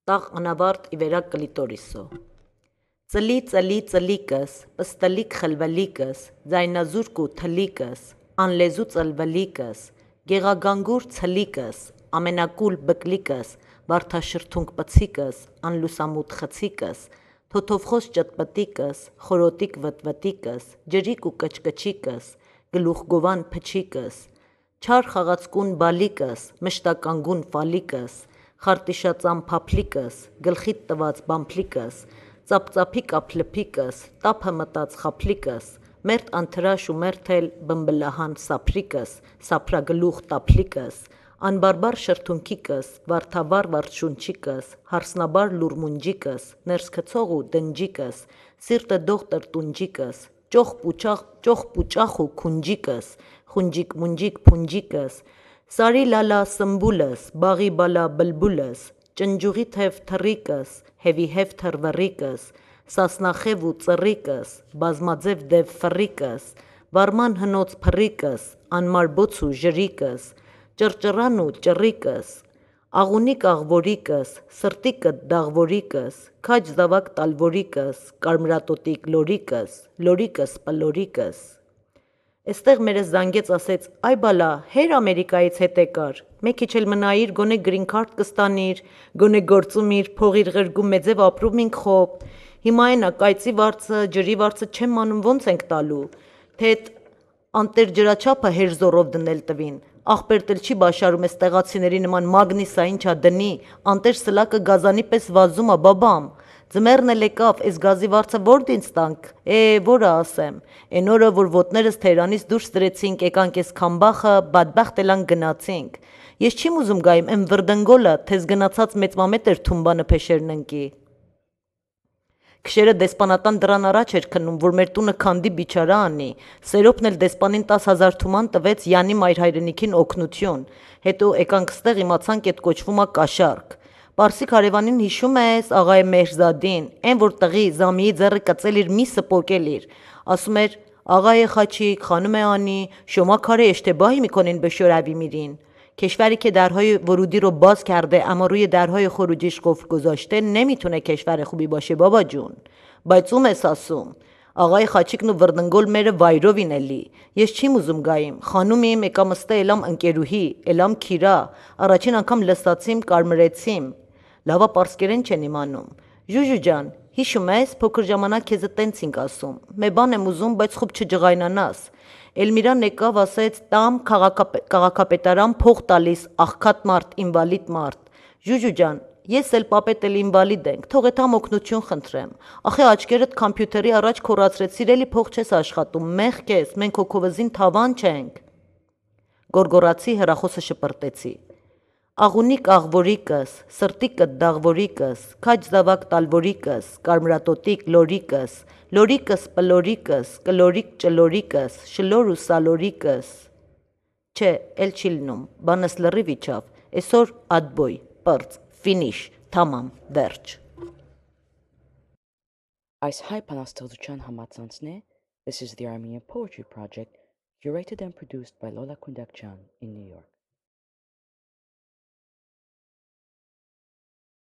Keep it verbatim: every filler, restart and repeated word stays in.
տաղ անավարտ իվերակ կլիտորիսո։ Ծլի ծլի ծլիկս, պստլիկ խլվլիկս, ձայնազուրկ ու թլիկս, անլեզու ծլվլիկս, գեղագանգուր ցլիկս, ամենակուլ բկլիկս, վարդաշրթունք պցիկս, անլուսամուտ խցիկս, թոթովխոս ճտպտիկս, խորոտիկ վտվտիկս, ջրիկ ու կչկչիկս, գլուխգովան փչիկս, չար խաղացկուն բալիկս, մշտականգուն ֆալիկս, խարտիշածամ փափլիկս, գլխիտ տված բամփլիկս, ծապծափիկ ափլփիկս, տափը մտած խափլիկս, մերթ անթրաշ ու մերթել բմբլահան սափրիկս, սափրագլուխ տափլիկս, անբարբար շրթունքիկս, վարդավառ վարդշունչիկս, հարսնաբար լուրմունջիկս, ներսքցող ու դնջիկս, սիրտը դողտր տունջիկս, ճոխ պուճախ ու քունջիկս, խունջիկ մունջիկ փունջիկս, սարի լալա սմբուլս, բաղի բալա բլբուլս, ճնջուղի թև թռիկս, հևի հև թռվռիկս, սասնախև ու ծռիկս, բազմաձև դև ֆռիկս, վարման հնոց փռիկս, անմար բոց ու ժրիկս, ճռճռան ու ճռիկս, աղունիկ աղվորիկս, սրտիկդ դաղվորիկս, քաջ զավակ տալվորիկս, կարմրատոտիկ լորիկս, լորիկս պլորիկս։ Էստեղ մերս զանգեց ասեց այ բալա հեր Ամերիկայից հետ եկար, մեկ քիչ էլ մնայիր գոնե գրին քարտ կստանիր, գոնե գործումիր, փողիր ղրգում մեձև ապրում ինք խոբ, հիմա էնա կայծի վարձը, ջրի վարձը չեմ մանում ոնց ենք տալու, թե էդ անտեր ջրաչափը հեր զորով դնել տվին, աղբերտ էլ չի բաշարում էս տեղացիների նման մագնիսա ինչա դնի, անտեր սլակը գազանի պես վազում ա բաբամ, ձմեռն էլ եկավ, էս գազի վարձը որ դինց տանք, է որը ասեմ, էն օրը որ ոտներս Թեհրանից դուրս դրեցինք, եկանք էս Քամբախը, բադբախտ էլան գնացինք, ես չիմ ուզում գայիմ էն վրդնգոլը, թեզ գնացած մեծմամետ էր թումբանը փեշերն ընկի։ Քշերը դեսպանատան դրան առաջ էր քննում, որ մեր տունը քանդի բիչարա անի, Սերոպն էլ դեսպանին տաս հազար թուման տվեց Յանի մայր հայրենիքին օգնություն, հետո եկանք ստեղ իմացանք էդ կոչվում ա կաշառք։ Պարսիկ հարևանին հիշում ես, աղայ Մեհրզադին, էն որ տղի Զամիի ձեռը կծել իր միսը պոկել իր, ասում էր աղայ խաչիկ, خانم انی شما کار اشتباهی میکنین به شوروی میرین کشوری که درهای ورودی رو باز کرده اما روی درهای خروجیش قفل گذاشته نمیتونه کشور خوبی باشه بابا جون բայց ում ես ասում աղայ խաչիկն ու վրդնգոլ մերը վայրով ինելի ես չիմ ուզում գայիմ խանումի իմ եկամստը էլամ ընկերուհի էլամ քիրա առաջին անգամ լսացիմ կարմրեցիմ լավա պարսկերեն չեն իմանում ժուժու ջան հիշում ես փոքր ժամանակ քեզ տենց ինք ասում մե բան եմ ուզում բայց խոբ չջղայնանաս Էլմիրան եկավ ասեց տամ քաղաքապետարան փող տալիս աղքատ մարդ ինվալիդ մարդ ժուժու ջան ես էլ պապետ էլ ինվալիդ ենք թող էթամ օգնություն խնդրեմ ախե աչքերդ կամպյուտերի առաջ քորացրեցիր էլի փող չես աշխատում մեղք ես մենք հոգովզին թավան չենք գորգորացի հրախոսը շպրտեցի աղունիկ աղվորիկս սրտիկդ դաղվորիկս քաջ զավակ տալվորիկս կարմրատոտիկ լորիկս լորիկս պլորիկս կլորիկ ճլորիկս շլոր ու սալորիկս չէ էլ չի լնում բանս լրիվ իջավ այսօր ադբոյ պրծ ֆինիշ թամամ վերջ Այս հայ բանաստեղծության համացանցն է This is the Armenian Poetry Project curated and produced by Lola Kundakjan in New York